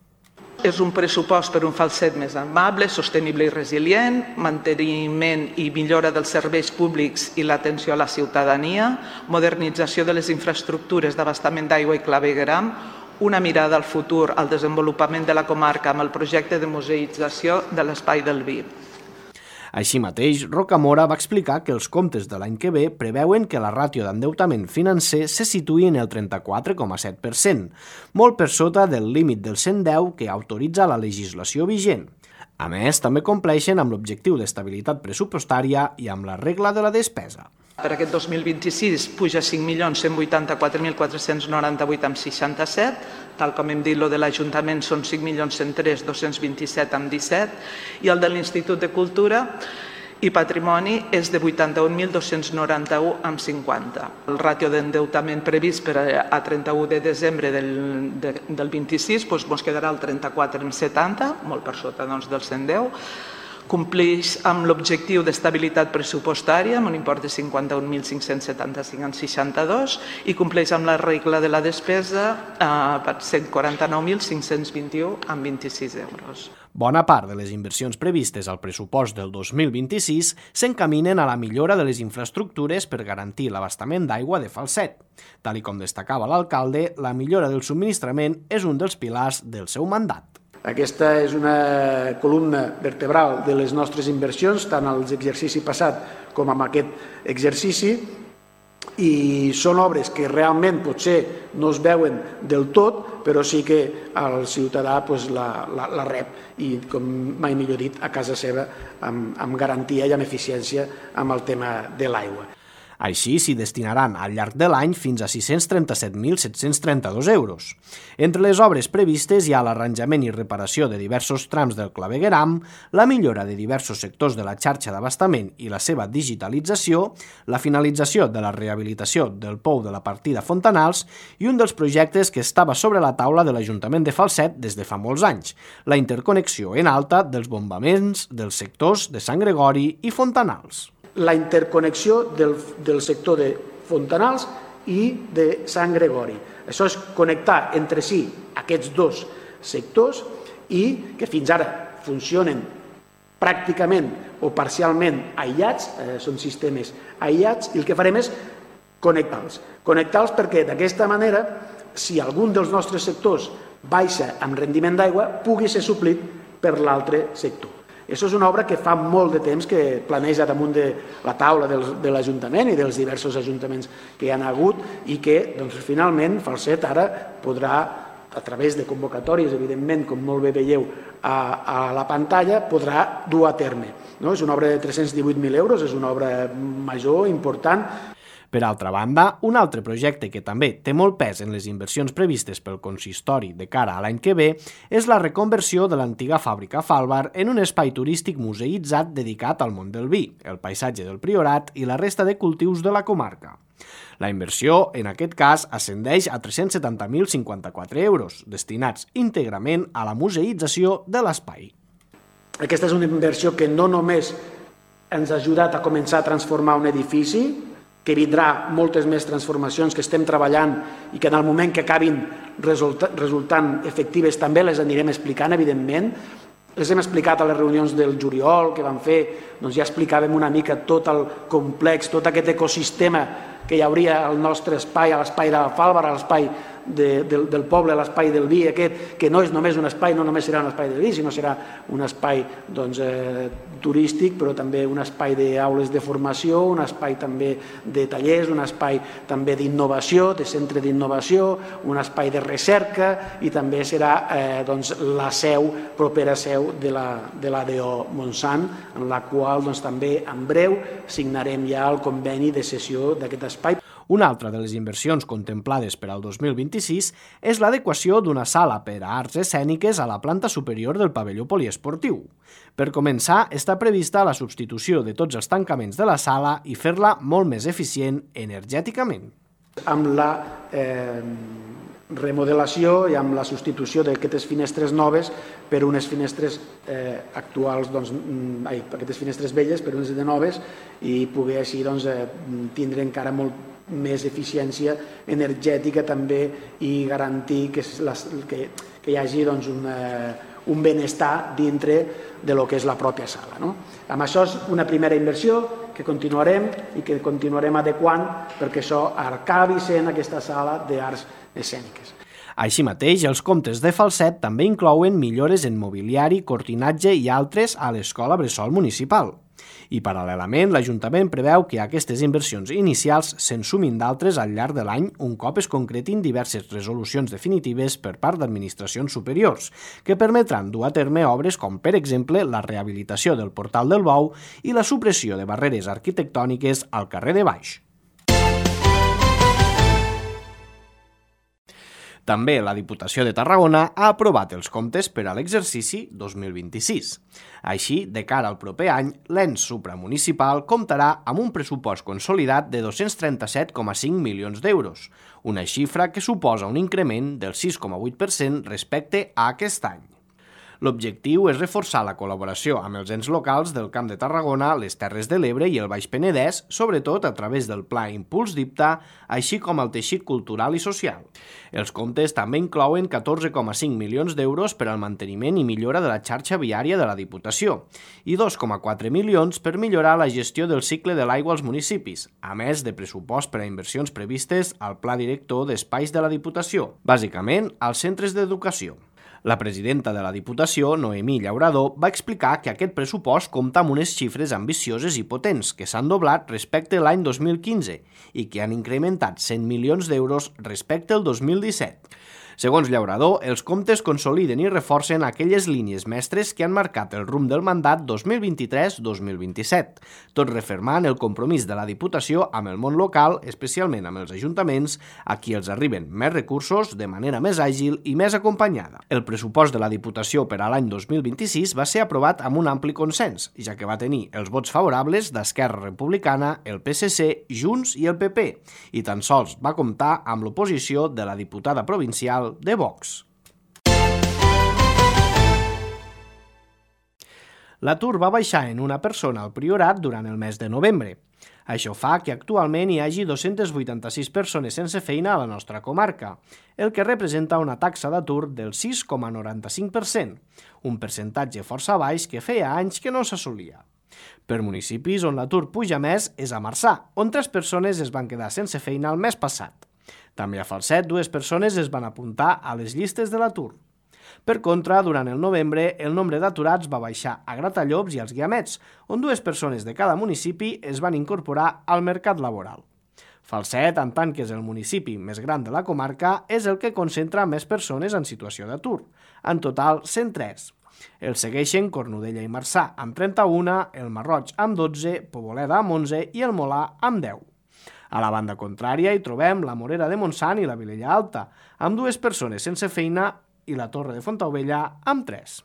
És un pressupost per un Falset més amable, sostenible i resilient, manteniment i millora dels serveis públics i l'atenció a la ciutadania, modernització de les infraestructures d'abastament d'aigua i clavegueram, una mirada al futur al desenvolupament de la comarca amb el projecte de museïtzació de l'Espai del Vi. Així mateix, Rocamora va explicar que els comptes de l'any que ve preveuen que la ràtio d'endeutament financer se situï en el trenta-quatre coma set per cent, molt per sota del límit del cent deu que autoritza la legislació vigent. A més, també compleixen amb l'objectiu d'estabilitat pressupostària i amb la regla de la despesa. Per aquest dos mil vint-i-sis puja cinc milions cent vuitanta-quatre mil quatre-cents noranta-vuit amb seixanta-set, tal com hem dit, el de l'Ajuntament són cinc milions cent tres mil dos-cents vint-i-set amb disset, i el de l'Institut de Cultura, i patrimoni és de vuitanta-un mil dos-cents noranta-u coma cinquanta. El ràtio d'endeutament previst per a trenta-u de desembre del, de, del vint-i-sis doncs, ens quedarà el trenta-quatre coma setanta, molt per sota doncs, del cent deu. Compleix amb l'objectiu d'estabilitat pressupostària amb un import de cinquanta-un mil cinc-cents setanta-cinc coma seixanta-dos i compleix amb la regla de la despesa eh, per cent quaranta-nou mil cinc-cents vint-i-u coma vint-i-sis euros. Bona part de les inversions previstes al pressupost del dos mil vint-i-sis s'encaminen a la millora de les infraestructures per garantir l'abastament d'aigua de Falset. Tal com destacava l'alcalde, la millora del subministrament és un dels pilars del seu mandat. Aquesta és una columna vertebral de les nostres inversions, tant als exercici passat com en aquest exercici, i són obres que realment potser no es veuen del tot, però sí que el ciutadà pues, la, la, la rep i, com mai millor dit, a casa seva amb, amb garantia i amb eficiència amb el tema de l'aigua. Així s'hi destinaran al llarg de l'any fins a sis-cents trenta-set mil set-cents trenta-dos euros. Entre les obres previstes hi ha l'arranjament i reparació de diversos trams del clavegueram, la millora de diversos sectors de la xarxa d'abastament i la seva digitalització, la finalització de la rehabilitació del pou de la partida Fontanals i un dels projectes que estava sobre la taula de l'Ajuntament de Falset des de fa molts anys, la interconnexió en alta dels bombaments dels sectors de Sant Gregori i Fontanals. La interconnexió del, del sector de Fontanals i de Sant Gregori. Això és connectar entre si aquests dos sectors i que fins ara funcionen pràcticament o parcialment aïllats, eh, són sistemes aïllats, i el que farem és connectar-los. Connectar-los perquè d'aquesta manera, si algun dels nostres sectors baixa amb rendiment d'aigua, pugui ser suplit per l'altre sector. Això és una obra que fa molt de temps que planeja damunt de la taula de l'Ajuntament i dels diversos ajuntaments que hi ha hagut i que doncs, finalment Falset ara podrà, a través de convocatòries, evidentment, com molt bé veieu a, a la pantalla, podrà dur a terme. No? És una obra de tres-cents divuit mil euros, és una obra major, important. Per altra banda, un altre projecte que també té molt pes en les inversions previstes pel consistori de cara a l'any que ve és la reconversió de l'antiga fàbrica Fàlvar en un espai turístic museïtzat dedicat al món del vi, el paisatge del Priorat i la resta de cultius de la comarca. La inversió, en aquest cas, ascendeix a tres-cents setanta mil cinquanta-quatre euros, destinats íntegrament a la museïtzació de l'espai. Aquesta és una inversió que no només ens ha ajudat a començar a transformar un edifici, que vindrà moltes més transformacions que estem treballant i que en el moment que acabin resultant efectives també les anirem explicant, evidentment. Les hem explicat a les reunions del juliol que vam fer, doncs ja explicàvem una mica tot el complex, tot aquest ecosistema que hi hauria al nostre espai, a l'espai de la Fàlvar, a l'espai de, del, del poble, a l'espai del vi aquest, que no és només un espai, no només serà un espai del vi, sinó serà un espai doncs, eh, turístic, però també un espai d'aules de formació, un espai també de tallers, un espai també d'innovació, de centre d'innovació, un espai de recerca i també serà eh, doncs, la seu, propera seu de la, de l'A D O Montsant, en la qual doncs, també en breu signarem ja el conveni de cessió d'aquest espai. Una altra de les inversions contemplades per al dos mil vint-i-sis és l'adequació d'una sala per a arts escèniques a la planta superior del pavelló poliesportiu. Per començar, està prevista la substitució de tots els tancaments de la sala i fer-la molt més eficient energèticament. Amb la eh, remodelació i amb la substitució d'aquestes finestres noves per unes finestres eh, actuals, doncs, ai, aquestes finestres velles per unes de noves i poder així doncs, eh, tindre encara molt més eficiència energètica també i garantir que, les, que, que hi hagi doncs, un, eh, un benestar dintre de lo que és la pròpia sala. No? Amb això és una primera inversió que continuarem i que continuarem adequant perquè això acabi sent aquesta sala d'arts escèniques. Així mateix, els comptes de Falset també inclouen millores en mobiliari, cortinatge i altres a l'Escola Bressol Municipal. I, paral·lelament, l'Ajuntament preveu que aquestes inversions inicials se'n sumin d'altres al llarg de l'any un cop es concretin diverses resolucions definitives per part d'administracions superiors, que permetran dur a terme obres com, per exemple, la rehabilitació del Portal del Bou i la supressió de barreres arquitectòniques al carrer de Baix. També la Diputació de Tarragona ha aprovat els comptes per a l'exercici dos mil vint-i-sis. Així, de cara al proper any, l'ens supramunicipal comptarà amb un pressupost consolidat de dos-cents trenta-set coma cinc milions d'euros, una xifra que suposa un increment del sis coma vuit per cent respecte a aquest any. L'objectiu és reforçar la col·laboració amb els ens locals del Camp de Tarragona, les Terres de l'Ebre i el Baix Penedès, sobretot a través del Pla Impuls d'Ipta, així com el teixit cultural i social. Els comptes també inclouen catorze coma cinc milions d'euros per al manteniment i millora de la xarxa viària de la Diputació i dos coma quatre milions per millorar la gestió del cicle de l'aigua als municipis, a més de pressupost per a inversions previstes al Pla Director d'Espais de la Diputació, bàsicament als centres d'educació. La presidenta de la Diputació, Noemí Llaurador, va explicar que aquest pressupost compta amb unes xifres ambicioses i potents que s'han doblat respecte a l'any dos mil quinze i que han incrementat cent milions d'euros respecte al dos mil disset. Segons Llaurador, els comptes consoliden i reforcen aquelles línies mestres que han marcat el rumb del mandat dos mil vint-i-tres dos mil vint-i-set, tot refermant el compromís de la Diputació amb el món local, especialment amb els ajuntaments, a qui els arriben més recursos de manera més àgil i més acompanyada. El pressupost de la Diputació per a l'any dos mil vint-i-sis va ser aprovat amb un ampli consens, ja que va tenir els vots favorables d'Esquerra Republicana, el P S C, Junts i el P P, i tan sols va comptar amb l'oposició de la diputada provincial de Vox. L'atur va baixar en una persona al Priorat durant el mes de novembre. Això fa que actualment hi hagi dos-centes vuitanta-sis persones sense feina a la nostra comarca, el que representa una taxa d'atur del sis coma noranta-cinc per cent, un percentatge força baix que feia anys que no s'assolia. Per municipis on l'atur puja més és a Marçà, on tres persones es van quedar sense feina el mes passat. També a Falset, dues persones es van apuntar a les llistes de l'atur. Per contra, durant el novembre, el nombre d'aturats va baixar a Gratallops i als Guiamets, on dues persones de cada municipi es van incorporar al mercat laboral. Falset, en tant que és el municipi més gran de la comarca, és el que concentra més persones en situació d'atur, en total cent tres. El segueixen Cornudella i Marçà amb trenta-una, el Marroig amb dotze, Poboleda amb onze i el Molà amb deu. A la banda contrària hi trobem la Morera de Montsant i la Vilella Alta, amb dues persones sense feina i la Torre de Fontaubella amb tres.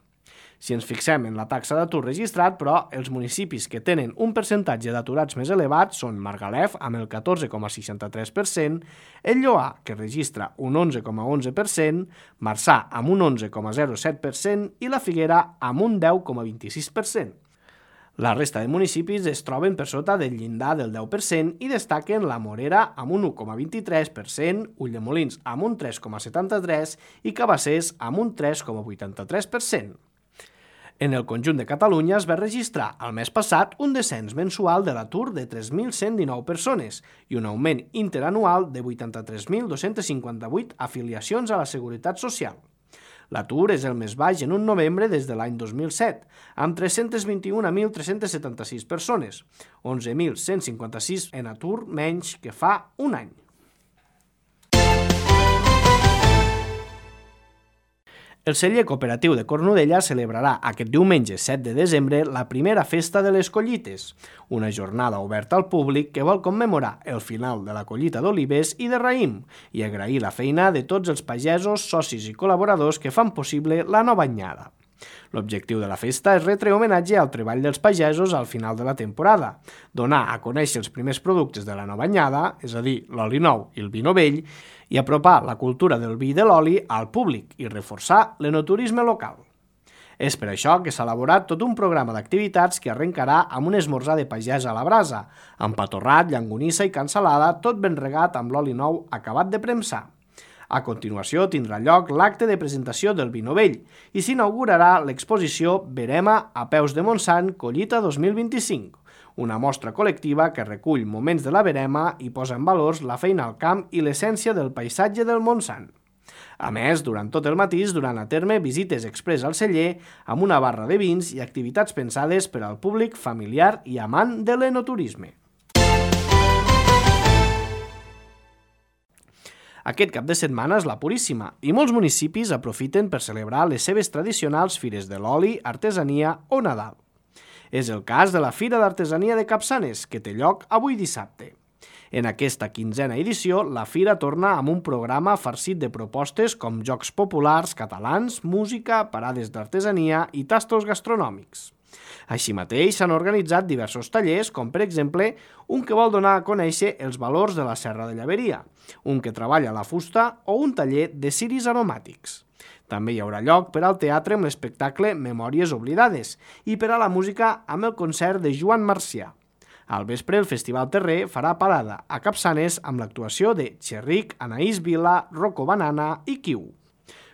Si ens fixem en la taxa d'atur registrat, però, els municipis que tenen un percentatge d'aturats més elevat són Margalef, amb el catorze coma seixanta-tres per cent, el Lloar, que registra un onze coma onze per cent, Marçà, amb un onze coma zero set per cent i la Figuera, amb un deu coma vint-i-sis per cent. La resta de municipis es troben per sota del llindar del deu per cent i destaquen la Morera amb un u coma vint-i-tres per cent, Ulldemolins amb un tres coma setanta-tres per cent i Cabassers amb un tres coma vuitanta-tres per cent. En el conjunt de Catalunya es va registrar el mes passat un descens mensual de l'atur de tres mil cent dinou persones i un augment interanual de vuitanta-tres mil dos-cents cinquanta-vuit afiliacions a la Seguretat Social. L'atur és el més baix en un novembre des de l'any dos mil set, amb tres-cents vint-i-un mil tres-cents setanta-sis persones, onze mil cent cinquanta-sis en atur menys que fa un any. El celler cooperatiu de Cornudella celebrarà aquest diumenge set de desembre la primera festa de les collites, una jornada oberta al públic que vol commemorar el final de la collita d'olives i de raïm i agrair la feina de tots els pagesos, socis i col·laboradors que fan possible la nova anyada. L'objectiu de la festa és retre homenatge al treball dels pagesos al final de la temporada, donar a conèixer els primers productes de la nova anyada, és a dir, l'oli nou i el vi novell, i apropar la cultura del vi i de l'oli al públic i reforçar l'enoturisme local. És per això que s'ha elaborat tot un programa d'activitats que arrencarà amb un esmorzar de pagès a la brasa, amb patorrat, llangonissa i cansalada, tot ben regat amb l'oli nou acabat de premsar. A continuació tindrà lloc l'acte de presentació del vi novell i s'inaugurarà l'exposició Verema a peus de Montsant Collita dos mil vint-i-cinc, una mostra col·lectiva que recull moments de la verema i posa en valors la feina al camp i l'essència del paisatge del Montsant. A més, durant tot el matí es duran a terme visites express al celler amb una barra de vins i activitats pensades per al públic familiar i amant de l'enoturisme. Aquest cap de setmana és la Puríssima i molts municipis aprofiten per celebrar les seves tradicionals fires de l'oli, artesania o Nadal. És el cas de la Fira d'Artesania de Capçanes, que té lloc avui dissabte. En aquesta quinzena edició, la Fira torna amb un programa farcit de propostes com jocs populars catalans, música, parades d'artesania i tastos gastronòmics. Així mateix s'han organitzat diversos tallers, com per exemple un que vol donar a conèixer els valors de la Serra de Llaveria, un que treballa la fusta o un taller de ciris aromàtics. També hi haurà lloc per al teatre amb l'espectacle Memòries oblidades i per a la música amb el concert de Joan Marcià. Al vespre, el Festival Terrer farà parada a Capçanes amb l'actuació de Xerric, Anaïs Vila, Rocco Banana i Kiu.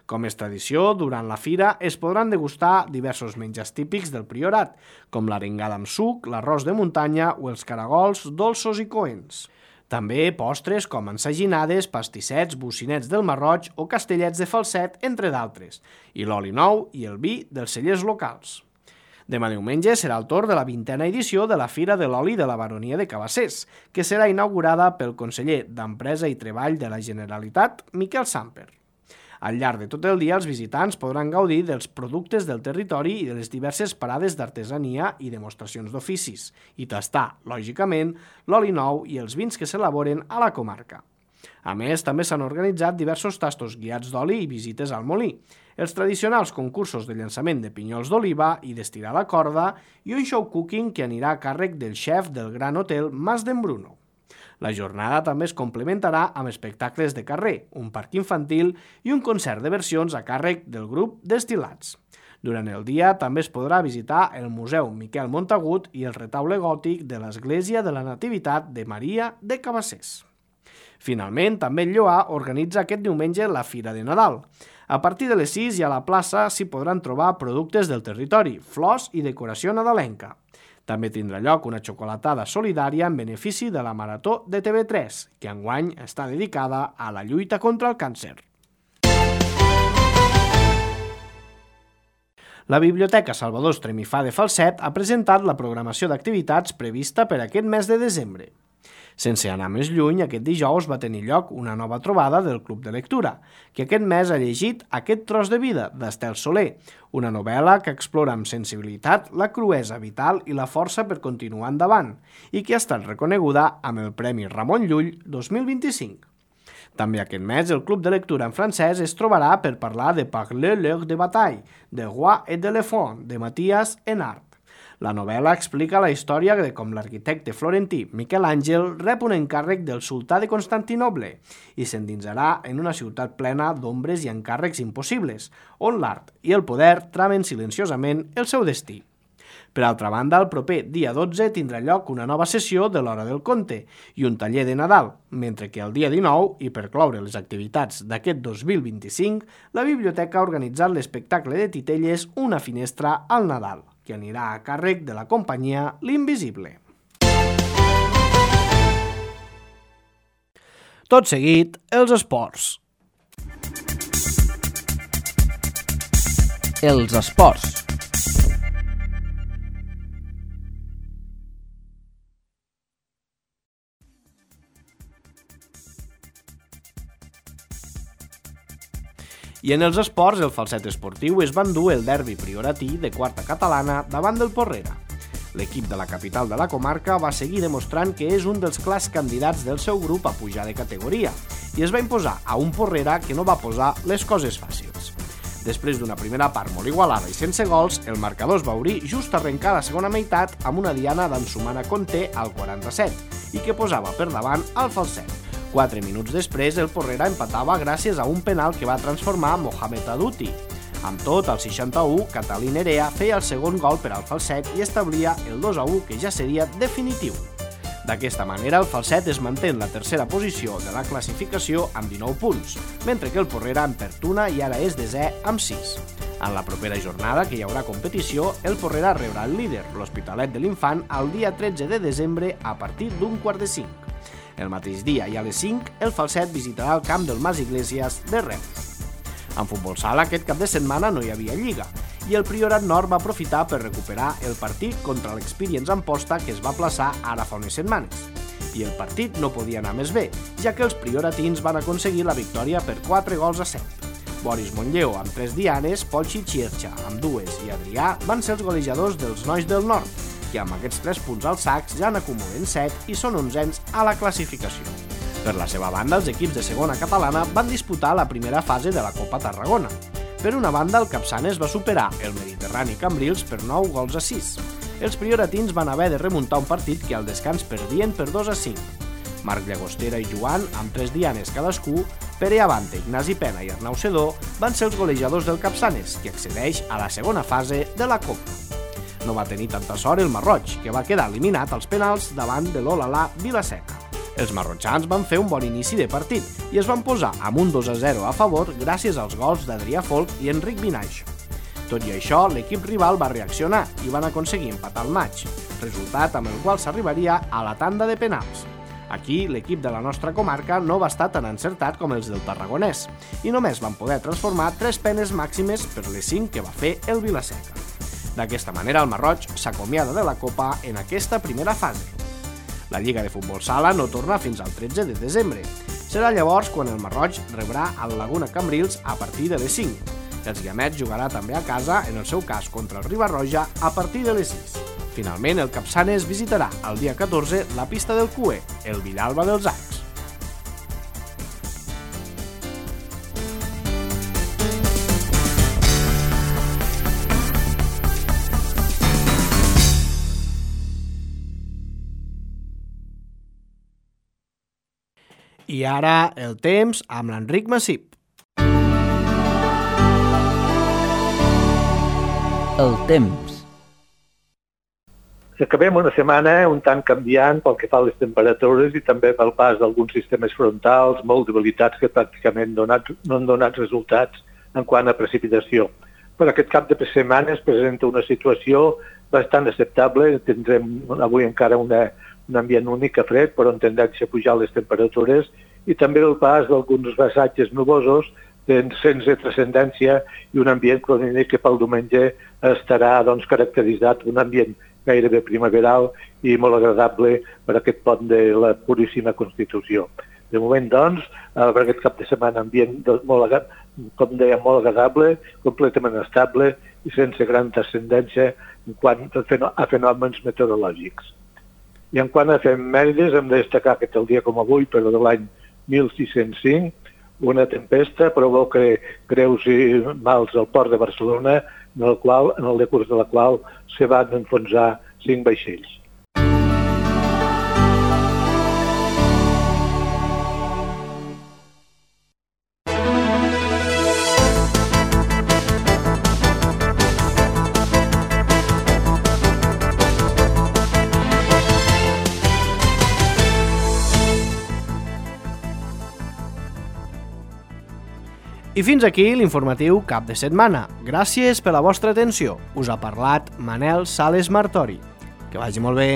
Com és tradició, durant la fira es podran degustar diversos menjars típics del Priorat, com l'arengada amb suc, l'arròs de muntanya o els caragols dolços i coents. També postres com ensaginades, pastissets, bocinets del Marroig o castellets de falset, entre d'altres, i l'oli nou i el vi dels cellers locals. Demà diumenge serà el torn de la vintena edició de la Fira de l'Oli de la Baronia de Cabassers, que serà inaugurada pel conseller d'Empresa i Treball de la Generalitat, Miquel Samper. Al llarg de tot el dia, els visitants podran gaudir dels productes del territori i de les diverses parades d'artesania i demostracions d'oficis, i tastar, lògicament, l'oli nou i els vins que s'elaboren a la comarca. A més, també s'han organitzat diversos tastos guiats d'oli i visites al molí, els tradicionals concursos de llançament de pinyols d'oliva i d'estirar la corda i un show cooking que anirà a càrrec del xef del Gran Hotel Mas d'en Bruno. La jornada també es complementarà amb espectacles de carrer, un parc infantil i un concert de versions a càrrec del grup Destil·lats. Durant el dia també es podrà visitar el Museu Miquel Montagut i el retaule gòtic de l'Església de la Nativitat de Maria de Cabassers. Finalment, també el Lloar organitza aquest diumenge la Fira de Nadal. A partir de les sis i a la plaça s'hi podran trobar productes del territori, flors i decoració nadalenca. També tindrà lloc una xocolatada solidària en benefici de la Marató de T V tres, que enguany està dedicada a la lluita contra el càncer. La Biblioteca Salvador Estremifà de Falset ha presentat la programació d'activitats prevista per aquest mes de desembre. Sense anar més lluny, aquest dijous va tenir lloc una nova trobada del Club de Lectura, que aquest mes ha llegit Aquest tros de vida, d'Estel Soler, una novel·la que explora amb sensibilitat la cruesa vital i la força per continuar endavant, i que ha estat reconeguda amb el Premi Ramon Llull dos mil vint-i-cinc. També aquest mes el Club de Lectura en francès es trobarà per parlar de Parler l'heure de bataille, de Roi et d'éléphant, de Mathias Enart. La novel·la explica la història de com l'arquitecte florentí Miquel Àngel rep un encàrrec del sultà de Constantinoble i s'endinsarà en una ciutat plena d'ombres i encàrrecs impossibles, on l'art i el poder tramen silenciosament el seu destí. Per altra banda, el proper dia dotze tindrà lloc una nova sessió de l'Hora del Conte i un taller de Nadal, mentre que el dia dinou, i per cloure les activitats d'aquest dos mil vint-i-cinc, la biblioteca ha organitzat l'espectacle de titelles Una finestra al Nadal, que anirà a càrrec de la companyia L'Invisible. Tot seguit, els esports. Els esports. I en els esports, el falset esportiu es va endur el derbi prioratí de quarta catalana davant del Porrera. L'equip de la capital de la comarca va seguir demostrant que és un dels clars candidats del seu grup a pujar de categoria i es va imposar a un Porrera que no va posar les coses fàcils. Després d'una primera part molt igualada i sense gols, el marcador es va obrir just a arrencar la segona meitat amb una diana d'Ansumana Conté al quaranta-set i que posava per davant al falset. Quatre minuts després, el Porrera empatava gràcies a un penal que va transformar Mohamed Aduti. Amb tot, al seixanta-u, Catalí Nerea feia el segon gol per al falset i establia el dos a u, que ja seria definitiu. D'aquesta manera, el falset es manté en la tercera posició de la classificació amb dinou punts, mentre que el Porrera en pertuna i ara és desè amb sis. En la propera jornada, que hi haurà competició, el Porrera rebrà el líder, l'Hospitalet de l'Infant, el dia tretze de desembre a partir d'un quart de cinc. El mateix dia i a les cinc, el falset visitarà el camp del Mas Iglesias de Reus. En futbol sala, aquest cap de setmana no hi havia lliga, i el Priorat Nord va aprofitar per recuperar el partit contra l'Experience Amposta que es va plaçar ara fa unes setmanes. I el partit no podia anar més bé, ja que els prioratins van aconseguir la victòria per quatre gols a set. Boris Montlleó amb tres dianes, Polchi Chiercha amb dues i Adrià van ser els golejadors dels nois del Nord, que amb aquests tres punts als sacs ja n'acumulen set i són onzens a la classificació. Per la seva banda, els equips de segona catalana van disputar la primera fase de la Copa Tarragona. Per una banda, el Capçanes va superar el Mediterrani Cambrils per nou gols a sis. Els prioratins van haver de remuntar un partit que al descans perdien per dos a cinc. Marc Llagostera i Joan, amb tres dianes cadascú, Pere Avante, Ignasi Pena i Arnau Sedó van ser els golejadors del Capçanes, que accedeix a la segona fase de la Copa. No va tenir tanta sort el Marroig, que va quedar eliminat als penals davant de l'Olalà Vila-seca. Els marrotxans van fer un bon inici de partit i es van posar amb un dos a zero a favor gràcies als gols d'Adrià Folk i Enric Vinaix. Tot i això, l'equip rival va reaccionar i van aconseguir empatar el maig, resultat amb el qual s'arribaria a la tanda de penals. Aquí, l'equip de la nostra comarca no va estar tan encertat com els del Tarragonès i només van poder transformar tres penes màximes per les cinc que va fer el Vila-seca. D'aquesta manera, el Marroig s'acomiada de la Copa en aquesta primera fase. La Lliga de Futbol Sala no torna fins al tretze de desembre. Serà llavors quan el Marroig rebrà al Laguna Cambrils a partir de les cinc. Els Guiamets jugarà també a casa, en el seu cas contra el Riba-roja, a partir de les sis. Finalment, el Capçanes visitarà el dia catorze la pista del Cué, el Villalba dels Arcs. I ara el temps amb l'Enric Massip. El temps. Acabem una setmana un tant canviant pel que fa a les temperatures i també pel pas d'alguns sistemes frontals molt debilitats que pràcticament donat, no han donat resultats en quant a precipitació. Per aquest cap de setmana es presenta una situació bastant acceptable. Tindrem avui encara una, un ambient únic a fred, però en tendència a pujar les temperatures, i també el pas d'alguns passatges nuvosos sense transcendència i un ambient que pel diumenge estarà doncs, caracteritzat un ambient gairebé primaveral i molt agradable per aquest pont de la Puríssima Constitució. De moment, doncs, per aquest cap de setmana ambient molt, com deia, molt agradable, completament estable i sense gran transcendència en quant a fenòmens meteorològics. I en quant a efemèrides, hem de destacar que el dia com avui, però de l'any mil sis-cents cinc, una tempesta provoca greus i mals al port de Barcelona, en el, qual, en el decurs de la qual se van enfonsar cinc vaixells. I fins aquí l'informatiu cap de setmana. Gràcies per la vostra atenció. Us ha parlat Manel Sales Martori. Que vagi molt bé.